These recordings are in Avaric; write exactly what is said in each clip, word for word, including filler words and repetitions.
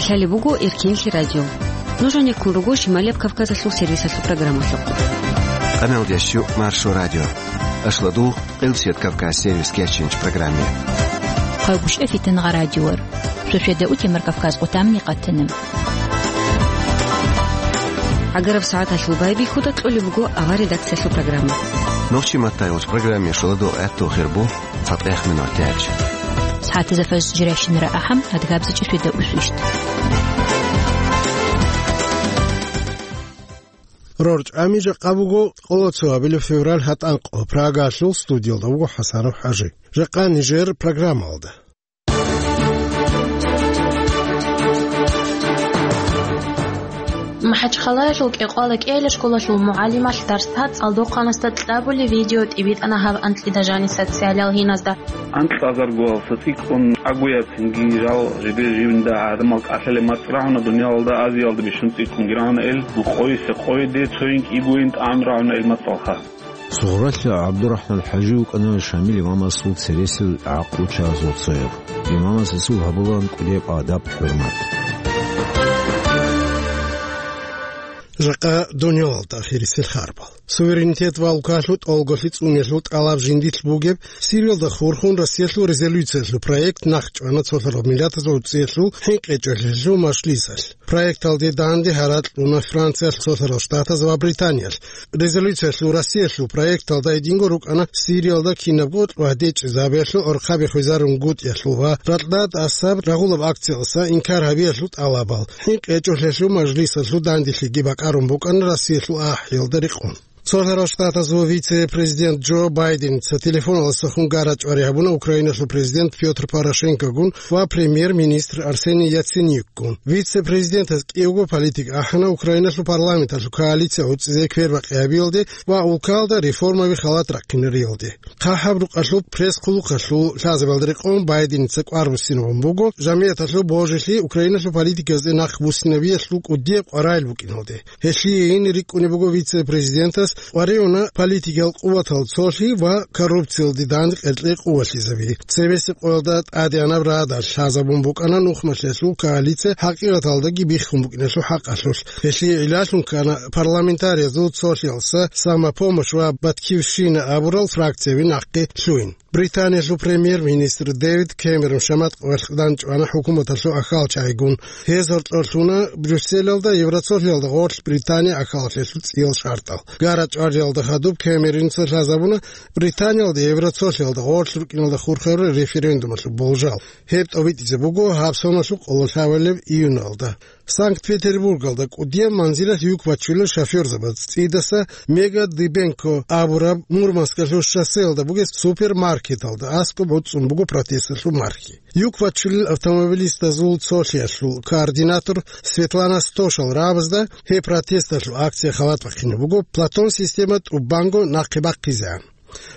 Лъалеб буго Эркенлъи радио. Нуж гьанир ккун руго Шималияб Кавказалъул сервисалъул программалъухъ. Къамелдеш Маршо радио. Ашладул, Къилсият Кавказ сервис кечинч программе. Хъайгушев Фитангъа радиор. Шошеда утемар Кавказ къутамни къатана. Агараб сагӀаталъул байбихьуда кьолеб буго авар редакциялъул программа. Нохчи маттайолч программе шуладо гӀатту хирбу. Фатех минутач. СагӀатазда фажр жирайщинара ахӀам, адгабзичӀеб свида усвищт. РорчӀами жакъа буго къоло цо абилеб февраль гьатӀанкъо. Прагалъул студиялда вуго ХӀасанов ХӀажи. Жакъа нижер программалда. МахӀачхъалаялъул КӀекъвала кӀиялъа школалъул мугӀалималъ дарсда цӀалдохъанасда кьабулеб видео тӀибитӀана гьаб анкьида жаниса социалиял гьиназда. Анкьазарго цӀикӀкӀун агуяцинги жал жибе-жибинда гӀадамал кӀалъалеб мацӀ рагӀуна дуниялалда, Азиялда бищун цӀикӀкӀунги рагӀуна ил, къойисе къойиде цойин кӀигойин тӀагӀам рагӀуна ил мацӀалха. Сугъралъа ГӀабдурахӀман ХӀажи вукӀана Шамил имамасул цересел гӀакълу чагӀазул цояб. Имамас гьесул гьабулаан кӀудияб адаб-хӀурмат. Жакъа дуниялалда ахирисел харбал. Суверенитет ва улкалъул тӀолголъи цӀуниялъул тӀалаб жиндилъ бугеб Сириялда хурхун Россиялъул резолюциялъул проект нахъ чӀвана Цолъарал Миллатазул ГӀуцӀиялъул ХӀинкъичӀолъиялъул мажлисалъ. Проекталде данде гьаракь кьуна Франциялъ, Цолъарал Штатаз ва Британиялъ. Резолюциялъул Россиялъул проекталда гьединго рукӀана Сириялда кинабго кьвагь дечӀезабиялъул, орхъаби хвезарун гутӀиялъул ва ракьда тӀасаб рагъулаб акциялдаса инкар гьабиялъул тӀалабал. ХӀинкъичӀолъиялъул мажлисалъул данделъиги бакӀарун букӀана Россиялъул ахӀиялда рекъон. Цолъарал Штатазул вице-президент Джо Байденица телефоналдасахун гара-чӀвари гьабуна Украиналъул президент Пётр Порошенкогун ва премьер-министр Арсений Яценюкгун. Вице-президентас кӀиявго политик ахӀана Украиналъул парламенталъул коалиция гӀуцӀизе квербакъи гьабиялде ва улкалда реформаби халат рахъинариялде. ХъахӀаб рукъалъул пресс-хъулухъалъул лъазабиялда рекъон Байденица кӀвар буссинабун буго жамигӀаталъул божилъи Украиналъул политикаялде нахъ буссинабиялъул кӀудияб къваригӀел букӀиналде. Гьелъие гьенир рикӀкӀунеб буго вице-президентас къваригӀуна политикиял къуватал цолъи ва коррупциялде данде къеркьей къувалъизаби. Цебесеб къоялда тӀадегӀанаб радал лъазабун букӀана нухмалъиялъул коалиция хӀакъикъаталдаги биххун букӀиналъул хӀакъалъулъ. Гьелъие гӀиллалъун ккана парламентариязул цолъиялдаса «Самопомощь» ва «Батькивщина» абурал фракцияби нахъе лъугьин. Британиялъул премьер-министр Дэвид Кэмерон шаматкъвалъ данчӀвана хӀукуматалъул ахьалчагӀигун. Гьез гьоркьор лъуна Брюсселалда Евроцолъиялда гъорлъ Британия ахьалалъулъ цӀиял шартӀал. Гара-чӀвариялда хадуб Кэмероница лъазабуна Британиялда Евроцолъиялда гъорлъ рукӀиналда хурхарурал референдумалъул болжал. Гьеб тӀобитӀизе буго гьаб соналъул къоло лъабабилеб июналда. Санкт-Петербургалда кӀудияб манзилалъ юк бачулел шофёрзабаз цӀидаса Мега Дыбенко абураб Мурманскалъул шоссеялда бугеб супермаркеталда аскӀоб гӀуцӀцӀун буго протесталъул мархи. Юк бачулел автомобилистазул цолъиялъул координатор Светлана Стошал рагӀабазда гьеб протесталъул акция халат бахъине буго Платон система тӀубанго нахъе бахъизегӀан.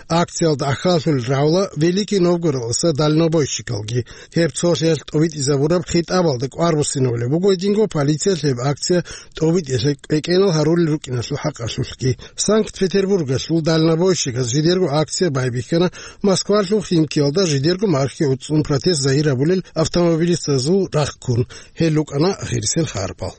Акциялда ахьаллъулел рагӀула Великий Новгородалъуса дальнобойщикалги. Гьеб цолъиялъ тӀобитӀизабураб хитӀабалда кӀвар буссинабулеб буго гьединго полициялъ гьеб акция тӀобитӀиялъе кӀвекӀенал гьарулел рукӀиналъул хӀакъалъулъги. Санкт-Петербургалъул дальнобойщиказ жидерго акция байбихьана Москвалъул Химкиялда жидерго мархи гӀуцӀцӀун протест загьир гьабулел автомобилистазул рахъ ккун. Гьел рукӀана ахирисел харбал.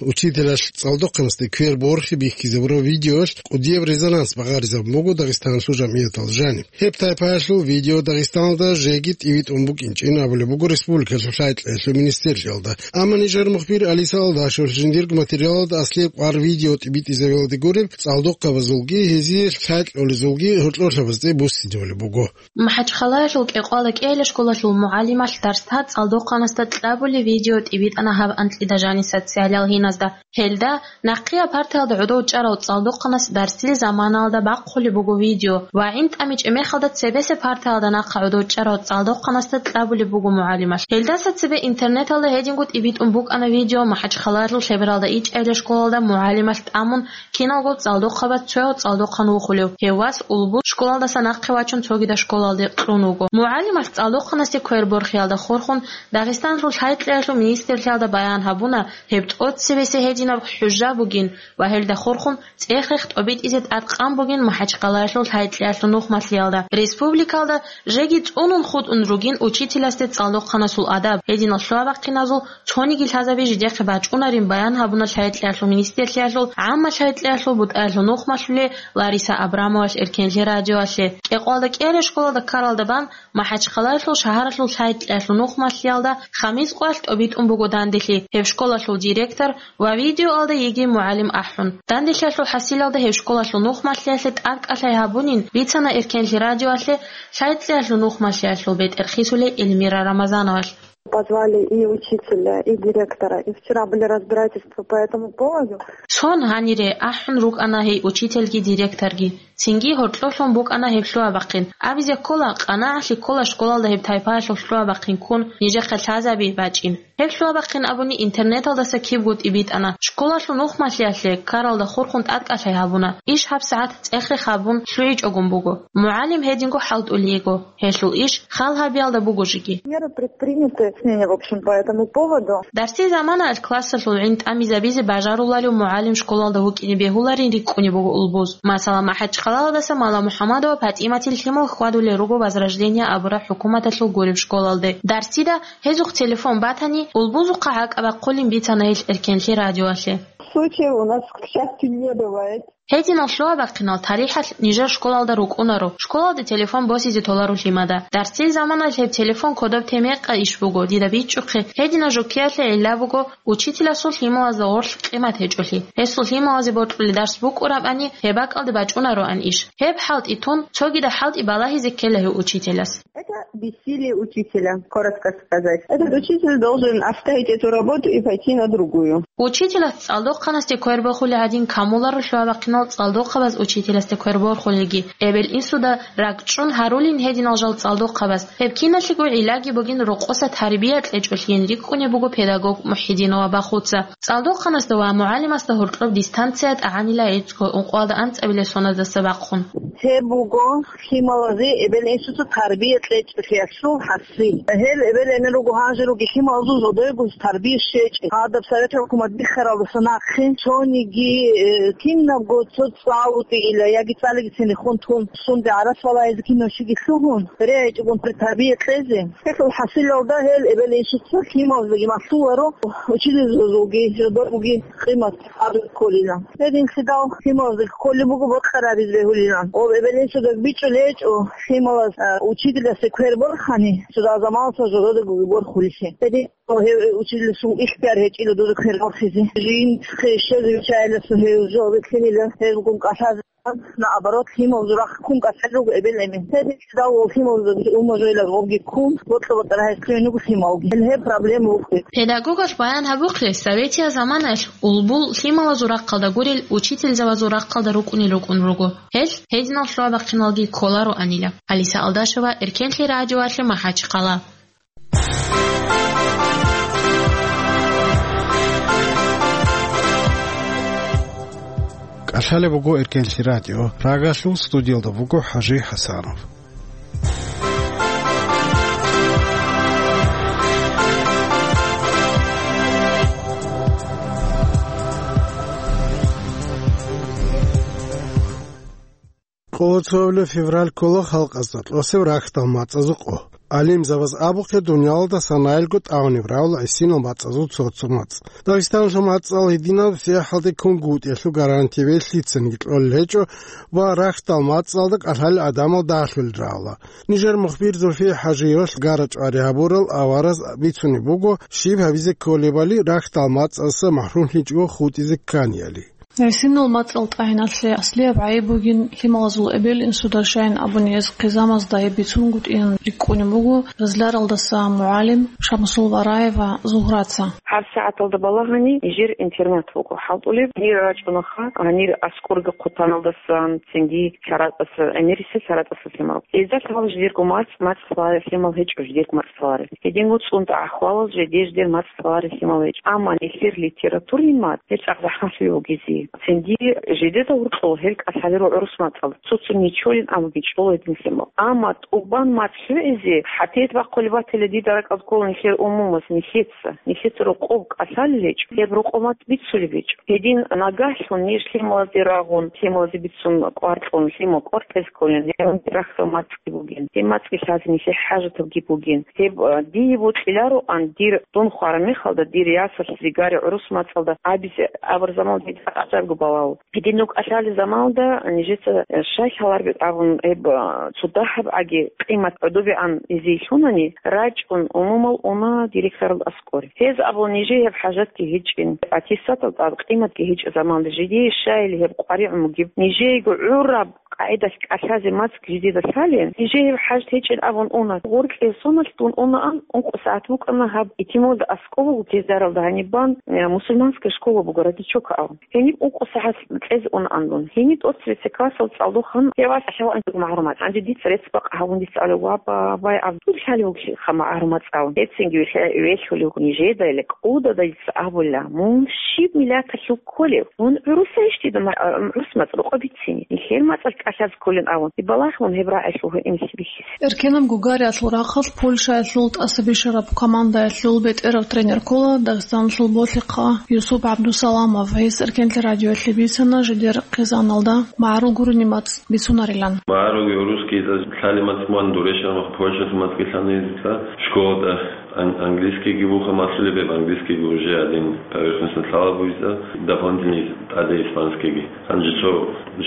Учителалъ цӀалдохъанасде квер борхи бихьизабураб видеоялъ кӀудияб резонанс багъаризабун буго Дагъистаналъул жамгӀияталда жаниб. Гьеб тайпаялъул видео Дагъистаналда жеги тӀибитӀун букӀинчӀин абулеб буго республикалъул лъай-кьеялъул министрлъиялда. Амма нижер мухбир Алиса Алдашев жиндирго материалалда аслияб кӀвар видео тӀибитӀизабиялде гуреб, цӀалдохъабазулги гьезие лъай-кьолезулги гьоркьорлъабазде буссинабулеб буго. МахӀачхъалаялъул КӀекъвала кӀиялъа школалъул мугӀалималъ дарсда цӀалдохъанасда кьабулеб видео тӀибитӀана гьаб анкьида жаниса социалиял гьиназда. Гьелда нахъе партаялда гӀодов чӀарав цӀалдохъанас дарсил заманалда бахъулеб буго видео ва гӀинтӀами чӀемехалда цебесеб партаялда нахъа гӀодов чӀарав цӀалдохъанасда кьабулеб буго мугӀалималъ. Гьелдаса цебе интернеталда гьединго тӀибитӀун букӀана видео МахӀачхъалаялъул Лъебералда ичӀайилла школалда мугӀалималъ тӀамун киналго цӀалдохъабаз цояв цӀалдохъан вухулев. Гьев вас улбул школалдаса нахъе вачун цогидаб школалде кьун вуго. МугӀалималъ цӀалдохъанасе квер борхиялда хурхун Дагъистаналъул лъай-кьеялъул министрлъиялда баян гьабуна, гьеб тӀоцебе Гьесие гьединаб хӀужа бугин ва гьелда хурхун цӀех-рех тӀобитӀизе тӀадкъан бугин МахӀачхъалаялъул лъай-кьеялъул нухмалъиялда. Республикалда жеги цӀунун хутӀун ругин учителасде цӀалдохъанасул адаб, гьединал лъугьа-бахъиназул цониги лъазаби жидехъе бачӀунарин баян гьабуна лъай-кьеялъул министрлъиялъул гӀамма лъай-кьеялъул бутӀаялъул нухмалъулей Лариса Абрамовалъ Эркенлъи радиоялъе. Кьекъоялда кӀиараб школалда ккаралда бан МахӀачхъалаялъул шагьаралъул лъай-кьеялъул нухмалъиялда Хамис къоялъ тӀобитӀун буго данделъи, гьеб школалъул директор ва видеоялда йигей мугӀалим ахӀун. Данделъиялъул хӀасилалда гьеб школалъул нухмалъиялъе тӀадкӀалъай гьабунин бицана Эркенлъи радиоялъе лъай-кьеялъул нухмалъиялъул бетӀерхъисулей Эльмира Рамазановалъ. Позвали и учителя, и директора, и вчера были разбирательства по этому поводу. Цон гьанире ахӀун рукӀана гьей учительги директорги. Цинги гьоркьолъун букӀана гьеб лъугьа-бахъин. Абизе ккола, къанагӀалъи ккола школалда гьеб тайпаялъул лъугьа-бахъин ккун нижехъе лъазаби бачӀин. Гьеб лъугьа-бахъин абуни интернеталдаса кибго тӀибитӀана. Школалъул нухмалъиялъе ккаралда хурхун тӀадкӀалъай гьабуна. Иш гьабсагӀат цӀех-рех гьабун лъугӀичӀогун буго. МугӀалим гьединго хӀалтӀулей йиго. Гьелъул иш хал гьабиялда буго жеги. Меры предприняты, мнение, в общем, по этому поводу. Дарсил заманаялъ классалъул гӀин тӀамизабизе бажаруларев мугӀалим школалда вукӀине бегьуларин рикӀкӀунеб буго улбуз. Масала, МахӀачхъалаялдаса Мала МухӀаммадова ПатӀиматил лъимал хьвадулел руго Возрождение абураб хӀукуматалъул гуреб школалде. Дарсида гьезухъ телефон батани, улбузухъа гӀакӀа бахъулин бицана гьелъ Эркенлъи радиоялъе. Случаев у нас, к счастью, не бывает. Гьединал лъугьа-бахъинал тарихӀалъ нижер школалда рукӀунаро, школалде телефон босизе толаро лъимада. Дарсил заманаялъ гьеб телефон кодоб те мекъа иш буго, дида бичӀчӀухъе, гьединаб жуккиялъе гӀилла буго учителасул лъималазда гъорлъ къимат гьечӀолъи. Гьесул лъималазе бокьулеб дарс букӀурабани, гьеб бакӀалде бачӀунароан иш. Гьеб хӀалтӀи тун, цогидаб хӀалтӀи балагьизе ккела гьев учителас. Это бессилие учителя, коротко сказать. Этот учитель должен оставить эту работу и пойти на другую. Учителас цӀалдохъанасде квер борхулеб гӀадин камуларо лъугьа-бахъинал цӀалдохъабаз учителасде квер борхулелги. Эбел-инсуда ракӀчӀун гьарулин гьединал жал цӀалдохъабаз. Гьеб киналъего гӀиллаги бугин рокъоса тарбия кьечӀолъиин рикӀкӀунеб буго педагог МухӀидинова Бахуца. ЦӀалдохъанасда ва мугӀалимасда гьоркьоб дистанция тӀагӀанила гӀицӀго ункъоялда анцӀабилеб соназдаса бахъун. Гьеб буго лъималазе эбел-инсуца тарбия кьечӀолъиялъул хӀасил. Гьел эбел-эмен руго гьанже руги лъималазул зодоего тарбия щвечӀеб. Гьадаб Советрал хӀукумат биххаралдаса нахъе цониги, э, кинабго цо цӀалутӀила яги цӀалиги цинихун тун, сунде гӀарац балагьизе кинав чиги лъугьун, регӀичӀогун тарбия кьезе. Гьелъул хӀасилалда гьел эбел-инсуца лъималаздаги малъуларо, учительзабазулги зодоги къимат гьабизе кколила. Гьединлъидал лъималаздаги кколеб буго бокьарабизе бегьулилан. Ва эбел-инсуда бичӀчӀулеб гьечӀо лъималаз, а, учительасе квер борхани, цо заманалъ жододагоги борхулелъи. Гьедин гьев учительасул ихтияр гьечӀила дуда квер борхизе. Жинцахъе щвезе виччайиласа гьев жо бикьинила, гьебгун кӀалъазе. Наоборот, лъималазул рахъ ккун кӀалъалел руго эбел-эмен. Гьединлъидал лъималазда умажугӀила гъобги ккун, бокьа-бокьараб гьез ккун буго лъималги. Гьел гьеб проблема вукӀин. Педагогалъ баян гьабухъе, советиял заманаялъ улбул лъималазул рахъалда гурел учительзабазул рахъалда рукӀунел рукӀун руго. Гьел гьединал лъугьа-бахъиналги кколароанила. Алиса Алдашева, Эркенлъи радиоялъе, МахӀачхъала. КӀалъалеб буго Эркенлъи радио. Прагалъул студиялда буго ХӀажи ХӀасанов. Къоло цоабилеб февраль ккола халкъазда тӀосеб рахьдал мацӀазул къо. ГӀалимзабаз абухъе, дуниялалда санаялго тӀагӀунеб равла гӀисинал мацӀазул цо-цо мацӀ. Дагъистаналъул мацӀал гьединаб сахлъиялде кунгутӀиялъул гарантияби лъицанги кьолел гьечӀо ва рахьдал мацӀалда кӀалъалел гӀадамал дагьлъулел равла. Нижер мухбир Зульфия ХӀажиевалъ гара чӀвари гьабурал авараз бицунеб буго щиб гьабизе кколебали рахьдал мацӀалдаса махӀрумлъичӀого хутӀизе кканияли. ГӀисинал мацӀал тӀагӀиналъе аслияб гӀайиб бугин лъималазул эбел-инсуда, щайин абуни гьез хъизамазда гьеб бицунгутӀиялъ рикӀкӀунеб буго Ризларалдаса мугӀалим Шамсул Вараева Зугьраца. ГьабсагӀаталда балагьани нижер интернат буго хӀалтӀулеб. Гьанир рачӀунаха, гьанир аскӀорги хъутаналдасан, цинги ЛъаратӀаса, гӀемерисел ЛъаратӀаса лъимал. Гьезда лъимал жидерго мацӀ, мацӀ лъаларел лъимал гьечӀо, жидерго мацӀ лъаларел. Гьединго цӀунтӀа ахӀвалал жеде-жидер мацӀ лъаларел лъимал гьечӀо. Амма нилъер литературный мацӀ, гьеб цӀакъ захӀмалъи вугезе. Цинги жидеда гьоркьоб гьел кӀалъалел гӀурус мацӀалда цо-цо нечолин абуги чӀола гьедин лъимал. Амма тӀубан мацӀ хӀуэзе хӀатет бахъулеб батила дида ракӀалда ккола нилъер умумуз, нилъеца, нилъеца рокъоб кӀалъалел гьечӀо, гьеб рокъоб мацӀ бицулеб гьечӀо. Гьедин нагагьлъун ниж лъималазде рагъун, лъималазе бицун кӀвар кьун, лъимал кӀвар кьезе кколин, гьеб рахьдал мацӀги бугин, гьеб мацӀги лъазе нилъее хӀажатабги бугин. Гьеб, а, дие бокьилароан, дир дун хвараб мехалда, дир ясалъ, зигари гӀурус мацӀалда абизе абураб заман дида къачӀарго балагьун. Гьедин нух кӀалъалел заманалда нижеца, э, щай лъалареб абун гьеб, а, цо дагьаб аги къимат гӀодобегӀан гьезие лъунани, рачӀун, умумул уна директоралда аскӀоре. Гьез абула нижее гьеб хӀажатги гьечӀин, аттестаталда тӀад къиматги гьечӀеб заманалда жидее щайили гьеб къваригӀун бугеб, нижеего гӀураб къагӀидалъ кӀалъазе мацӀ жидеда лъалин, нижее гьеб хӀажат гьечӀин абун уна. Гъоркье соналъ дун унаан, ункъо сагӀат букӀана гьаб итималда аскӀов буго, Кизляралда гьаниб бан, э, мусульманская школа буго, Родничок абун. Гьениб ункъо сагӀат кьезе унаан дун. Гьениб тӀоцебесеб классалда цӀалдохъан гьев валъ лъалаан буго магӀарул мацӀ. Гьанже дица рецц бакъ гьабун дица абула: «Ва, ба, бай, Абдул лъалев вугищ ха магӀарул мацӀ», – абун. Гьецинги вихьа-, вехьулев нижеда, или кӀудада дица абула: «Мун щиб миллаталъул кколев? Мун гӀурусайищ дида ма-, гӀурус мацӀ рокъоб бицине? Нилъер мацӀалъ кӀалъазе кколин», – абун. Балагье мун гьеб рагӀи лъугьа-, инлъи бихьизе. Эркенаб гугариялъул рахъалъ Польшаялъул тӀаса бищараб командаялъул бетӀерав тренер ккола Дагъистаналъул болъихъа Юсуп ГӀабдусаламов. Гьес Эркенлъи радиоялъе бицана жидер хъизаналда магӀарул гурони мацӀ бицунарилан. МагӀаруги гӀурусги лъалеб мацӀ мун дурешан ва Польшалъул мацӀги лъана гьезда. Школада ан-, английскийги буха малъулеб, гьеб английскийги уже один поверхностно лъала бугезда, дополнительный тӀаде испанскийги. Гьанже цо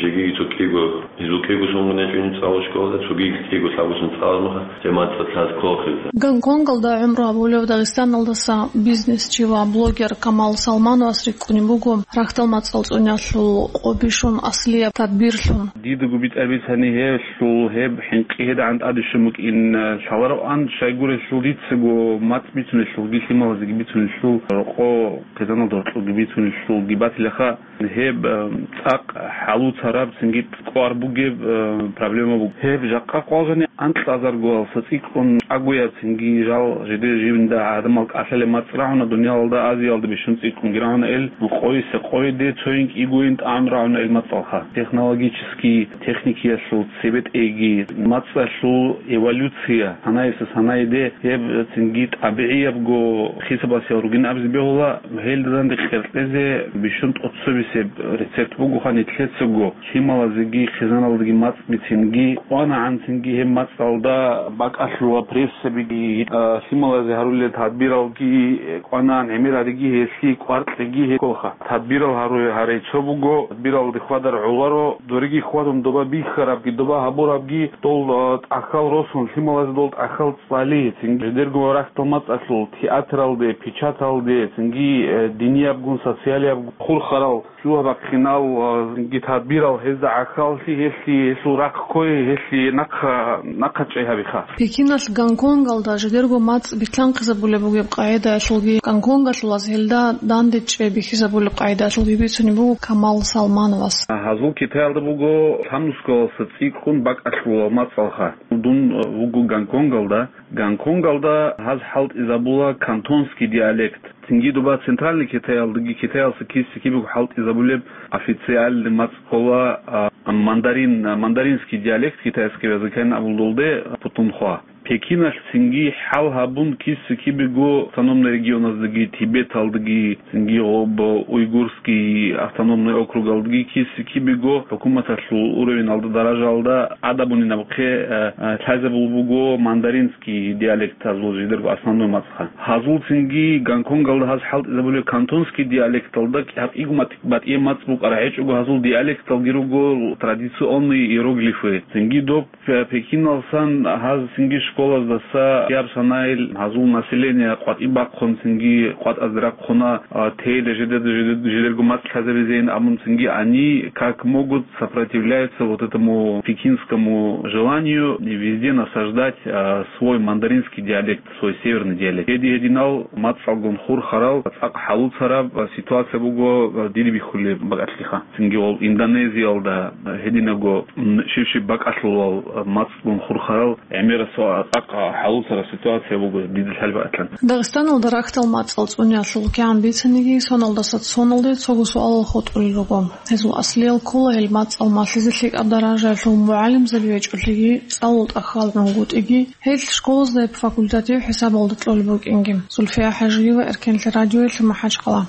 жеги цо кӀиго, гьезул кӀиго сонгун гьечӀо цӀалу школада, цоги кӀиго лъабгъун цӀалармаха, гьеб мацӀалъ лъаз кколхъизда. Гонконгалда гӀумру гьабулев Дагъистаналдаса бизнесчи ва блогер Камал Салмановас рикӀкӀунеб буго рахьдал мацӀал цӀуниялъул къо бищун аслияб тадбирлъун. Дидаго битӀараб бицани гьелъул гьеб хӀинкъи гьедигӀан тӀаде щун букӀин лъалароан, щайгурелъул дицаго мацӀ бицунелъулги лъималазеги бицунелъул рокъо хъизаналда гьоркьобги бицунелъулги батилаха. Гьеб, э, цӀакъ хӀалуцараб, цинги кӀвар бугеб, э, проблема буго. Гьеб жакъа къвалжани анкьазаргоялса цӀикӀкӀун чӀагояб, цинги жал жидер жинда гӀадамал кӀалъалеб мацӀ рагӀуна, дуниялалда, Азиялда бищун цӀикӀкӀунги рагӀуна ил, къойиса къойиде, цоян кӀигоян тӀагӀун рагӀуна ил мацӀалха. Технологический, техникиялъул цебетӀейги, мацӀалъул эволюция, санаялъа санаялде гьеб цинги тӀабигӀиябго хисабалъ ругин абизе бегьула. Гьелда данде къеркьезе бищун тӀоцебесеб рецепт бугоха нилъецаго, лъималазеги хъизаналдаги мацӀ бицинги, кӀванагӀан цинги гьеб мацӀалда бакӀалъула прессабиги, а, лъималазе гьарулел тадбиралги кӀванагӀан, гӀемер гьариги гьелъие кӀвар кьеги гьеколха. Тадбирал гьару-, гьарай цо буго, тадбиралде хьвадар гӀоларо, дореги хьвадун доба бихьарабги, доба гьабурабги, дол, а, тӀахьал росун, лъималазе дол тӀахьал цӀали, цинги жидерго рахьдал мацӀалъул, театралде, печаталде, цинги, э, диниябгун, социалиябгун хурхарал, лъугьа-бахъинал, а, цинги тадбирал гьезда гӀахьаллъи, гьелъие, гьелъул рахъ кквей, гьелъие нахъа, нахъа чӀей гьабиха. Пекиналъ Гонконгалда жидерго мацӀ битлъанхъизабулеб бугеб къагӀидаялъулги, гонконгалъулаз гьелда данде чӀей бихьизабулеб къагӀидаялъулги бицунеб буго Камал Салмановас. Гьазул Китаялда буго лъабнусгалалса цӀикӀкӀун бакӀалъулал мацӀалха. Дун вуго Гонконгалда. Гонконгалда гьаз хӀалтӀизабула кантонский диалект. Цинги доба Центральный Китаялдаги Китаялса киса-кибего хӀалтӀизабулеб официальный мацӀ ккола, а, мандарин, мандаринский диалект китайского языкайин абулдулде путунхва. Пекиналъ цинги хӀал гьабун киса-кибего автономный регионаздаги, Тибеталдаги, цинги гъоб уйгурский автономный округалдаги киса-кибего хӀукуматалъул уровеналда, даражаялда гӀадабунин абухъе, э, э, лъазабул буго мандаринский диалектазул жидерго основной мацӀ. Гьазул цинги Гонконгалда гьаз хӀалтӀизабулеб кантонский диалекталда кӀи-, гьаб кӀиго мат-, батӀияб мацӀ букӀараб гьечӀого, гьазул диалекталги руго традиционные иероглифы. Цинги доб Пе-, Пекиналсан гьаз цинги школаздаса яб санайил гьазул население къватӀиб бахъун, цинги къватӀазде рахъуна, а, тейиле жидеда жидед-, жидерго мацӀ лъазабизейин абун, цинги они как могут сопротивляются вот этому пекинскому желанию везде насаждать, а, свой мандаринский диалект, свой северный диалект. Гьедин-гьединал мацӀалгун хурхарал, цӀакъ хӀалуцараб ситуация буго, дида бихьулеб бакӀалъиха. Цинги гъол Индонезиялда гьединаго, м, щив-щив бакӀалъулал мацӀалгун хурхарал гӀемерасул Ахъа хӀалуцараб ситуация буго, дида лъалеб батани. Дагъистаналда рахьдал мацӀал цӀуниялъул кигӀан бицаниги, соналдаса соналде цого суалал хутӀулел руго. Гьезул аслиял ккола гьел мацӀал малъизе лъикӀаб даражаялъул мугӀалимзаби гьечӀолъиги, цӀалул тӀахьал гӀунгутӀиги, гьел школазда гьеб факультатив хӀисабалда кьолеб букӀинги. Зульфия ХӀажиева, Эркенлъи радиоялъ, МахӀачхъала.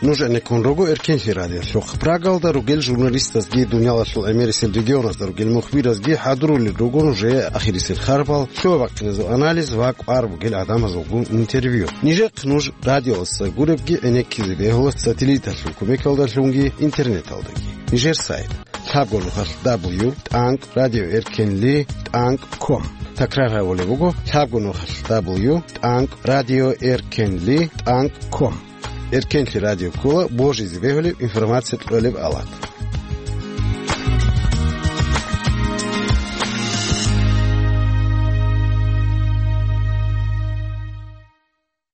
Нуж гӀенеккун руго Эркенлъи радиолъухъ. Прагалда ругел журналистазги, дуниялалъул гӀемерисел регионазда ругел мухбиразги хӀадурулел руго нужее ахирисел харбал, лъугьа-бахъиназул анализ ва кӀвар бугел гӀадамазулгун интервью. Нижехъ нуж радиоялдаса гуребги гӀенеккизе бегьула сателлиталъул кумекалдалъунги интернеталдаги. Нижер сайт: лъабго нухалъ дабл ю тӀанкӀ радио эркенли тӀанкӀ ком. Такрар гьабулеб буго: лъабго нухалъ дабл ю тӀанкӀ радио эркенли тӀанкӀ ком. Эркенлъи радио ккола божизе бегьулеб информация кьолеб алат.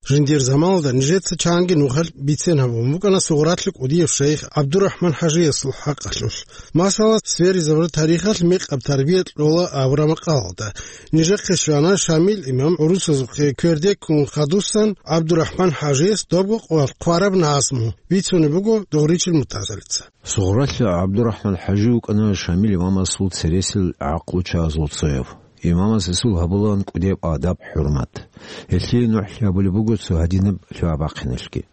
Жиндир заманалда нижеца чанги нухалъ бицен гьабун букӀана Сугъралъи кӀудияв шайх ГӀабдурахӀман ХӀажиясул хӀакъалъулъ. Масала, сверизабураб тарихалъ мекъаб тарбия кьола абураб макъалалда. Нижехъе щвана Шамил имам гӀурусазухъе квердеккун хадусан ГӀабдурахӀман ХӀажияс добго къвараб назму, бицунеб буго Дугъричил Муртазалица. Сугъралъи ГӀабдурахӀман ХӀажи вукӀана Шамил имамасул цересел гӀакълу чагӀазул цояв. Имамас гьесул гьабулаан кӀудияб адаб-хӀурмат. Гьелъие нухлъи гьабулеб буго цо гьадинаб лъугьа-бахъиналъги.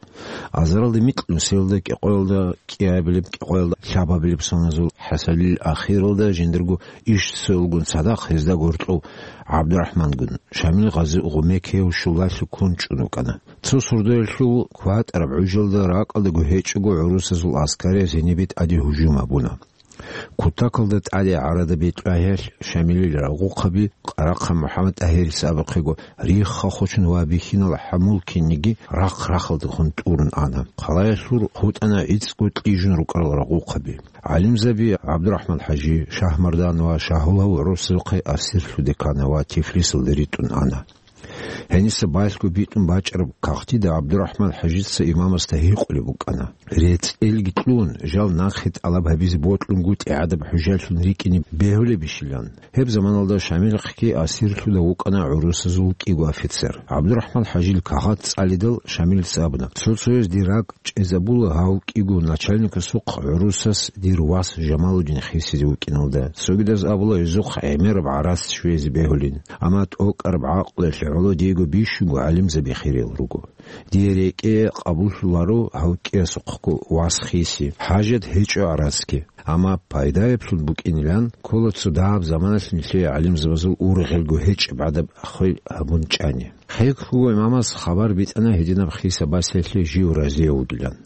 Азаралда микьнусиялда, кӀикъоялда кӀиабилеб, кӀикъоялда лъабабилеб соназул хӀасилил ахиралда жиндирго иш цоялгун цадахъ гьезда гьоркьов ГӀабдурахӀмангун, Шамил гъази гъумекияв щулалъе ккун чӀун вукӀана. Цо сордоялъул кватӀараб гӀужалда ракӀалдаго гьечӀого гӀурусазул аскари гьенибе тӀаде гьужум гьабуна. Кутакалда тӀаде гӀарада бетӀергьалъ Шамилил рагъухъаби Къарахъа МухӀаммад ТӀагьирица абухъего рихха-хочун ва бихьинал хӀамулкинниги рахъ-рахалдехун тӀурун ана. Хъалаялъур хутӀана гӀицӀго кьижун рукӀарал рагъухъаби. ГӀалимзаби ГӀабдурахӀман ХӀажи, Шагьмардан ва Шагьулав гӀурусазухъе асирлъуде ккана ва Тифлисалде ритӀун ана. Гьениса балъго битӀун бачӀараб кагътида ГӀабдурахӀман ХӀажица имамасда гьикъулеб букӀана: «РецӀелги кьун, жал нахъе тӀалаб гьабизе бокьунгутӀи гӀадаб хӀужалъун рикӀкӀине бегьулебищилан?» Гьеб заманалда Шамилахъги асирлъуда вукӀана гӀурусазул кӀиго офицер. ГӀабдурахӀман ХӀажил кагъат цӀалидал Шамилица абуна: «Цо-цояз дир ракӀ чӀезабула гьав кӀиго начальникасухъ гӀурусас дир вас Жамалудин хисизе вукӀиналда, цогидаз абула гьезухъ гӀемераб гӀарац щвезе бегьулин. Амма тӀокӀараб гӀакълуялъе гӀоло диего бищунго гӀалимзаби хириял руго. Дие рекӀее къабуллъуларо гьав кӀиясухъго вас хиси, хӀажат гьечӀо гӀарацги. Амма пайдаеблъун букӀинилан ккола цо дагьаб заманалъ нилъее гӀалимзабазул ургъелго гьечӀеб гӀадаб хвел гьабун чӀани». Хъег-хъуго имамас хабар битӀана гьединаб хиса басиялъе жив разияв вугилан.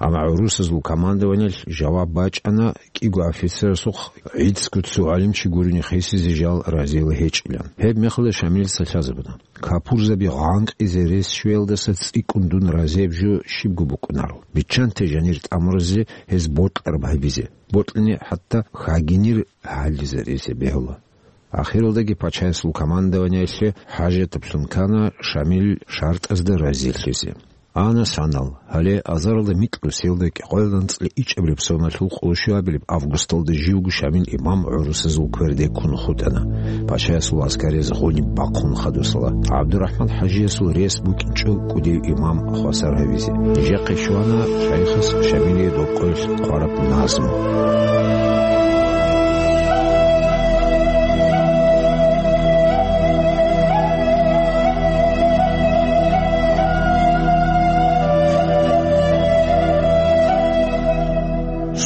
Амма гӀурусазул командованиялъ жаваб бачӀана кӀиго офицерасухъ гӀицӀго цо гӀалимчи гурони хисизе жал разиял гьечӀилан. Гьеб мехалда Шамилица лъазабуна: «Капурзаби гъанкъизе рес щвеялдаса цӀикӀкӀун дун разияб жо щибго букӀунаро. Биччанте жанир тӀамуразе гьез бокьараб гьабизе, бокьани хӀатта хагинир гьаллизаризе бегьула». Ахиралдаги пачаясул командованиялъе хӀажатаблъун ккана Шамил шартӀазда разилъизе. Ана санал, гьале азаралда микьнусиялда кӀикъоялда анцӀила ичӀабилеб соналъул къоло щуабилеб августалда живго Шамил имам гӀурусазул кверде ккун хутӀана. Пачаясул аскарияз гъуниб бахъун хадусала, ГӀабдурахӀман ХӀажиясул рес букӀинчӀо кӀудияв имам хвасар гьавизе. Нижехъе щвана шайхас Шамилие добкъоялъ хъвараб назму.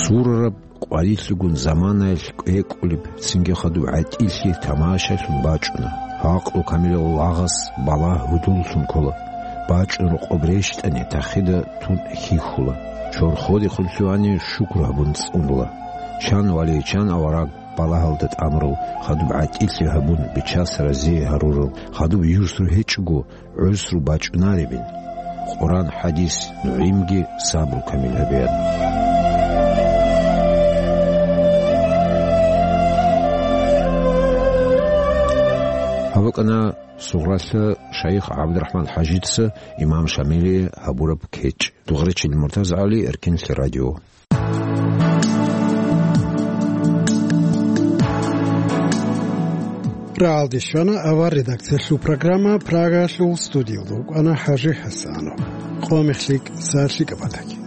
Сурараб къварилъигун заманаялъ кӀвекӀулеб, цинги хадуб гӀатӀилъи тамашалъун бачӀуна. Гьакълу камилал лагъас балагь гьудуллъун ккола. БачӀун рокъоб рещтӀани, тахида тун хьихьула. Чорходехун лъугьани шукру гьабун цӀунула. Чан вали, чан авараг балагьалда тӀамурал, хадуб гӀатӀилъи гьабун, Бичас разие гьарурал, хадуб юсру гьечӀого, гӀусру бачӀунаребин. Къуран, хӀадис, нугӀимги сабру камил гьабеян. Гьаб букӀана Сугъралъа шайх ГӀабдурахӀман ХӀажица имам Шамилие гьабураб кечӀ. Дугъречил МуртазагӀали, Эркенлъи радио. РагӀалде щвана авар редакциялъул программа. Прагаялъул студиялда вукӀана ХӀажи ХӀасанов. Къо мехлъи кӀса лъикӀаб батаги.